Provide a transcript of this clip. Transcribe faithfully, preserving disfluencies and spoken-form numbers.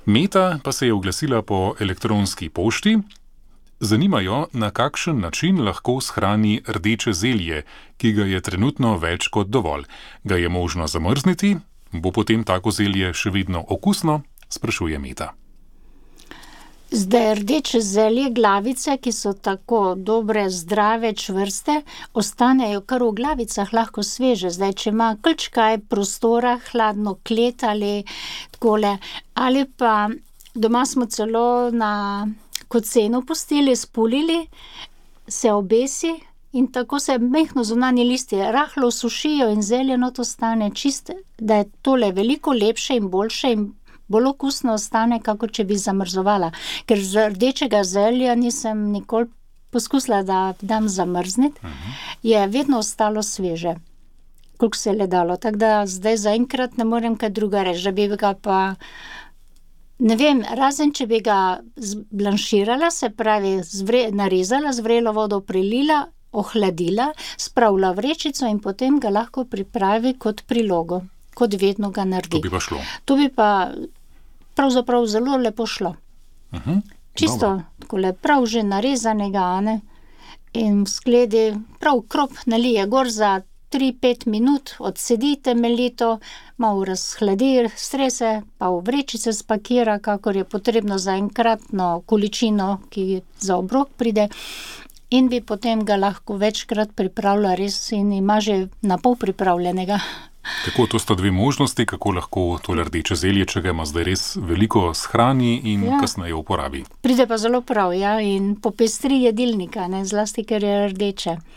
Meta pa se je oglasila po elektronski pošti. Zanima jo, na kakšen način lahko shrani rdeče zelje, ki ga je trenutno več kot dovolj. Ga je možno zamrzniti? Bo potem tako zelje še vedno okusno? Sprašuje Meta. Zdaj, rdeče zelje, glavice, ki so tako dobre, zdrave, čvrste, ostanejo kar v glavicah lahko sveže. Zdaj, če ima kljčkaj prostora, hladno klet ali takole, ali pa doma smo celo na kocenu pustili, spulili, se obesi in tako se mehno zunanje listje rahlo sušijo in zelje not ostane čiste, da je tole veliko lepše in boljše in bolj okusno ostane, kako če bi zamrzovala. Ker z rdečega zelja nisem nikoli poskusila, da dam zamrzniti, uh-huh. je vedno ostalo sveže, koliko se je le dalo. Tako da zdaj zaenkrat ne morem kaj druga reči, da bi ga pa, ne vem, razen če bi ga zblanširala, se pravi zvre, narezala, z vrelo vodo prilila, ohladila, spravila v vrečico in potem ga lahko pripravi kot prilogo. Kot vedno ga naredi. To bi pa šlo. To bi pa pravzaprav zelo lepo šlo. Uh-huh. Čisto takole prav že narezanega, ne? In v skledi prav krop nalije gor za tri pet minut, odsedi temeljito, malo razhladi, strese, pa v vrečice spakira, kakor je potrebno za enkratno količino, ki za obrok pride. In bi potem ga lahko večkrat pripravila res in ima že na pol pripravljenega. Tako, to sta dve možnosti, kako lahko tole rdeče zelje, če ga ima zdaj res veliko, shrani in ja. kasneje uporabi. Pride pa zelo prav, ja, in popestri jedilnika, ne, zlasti, ker je rdeče.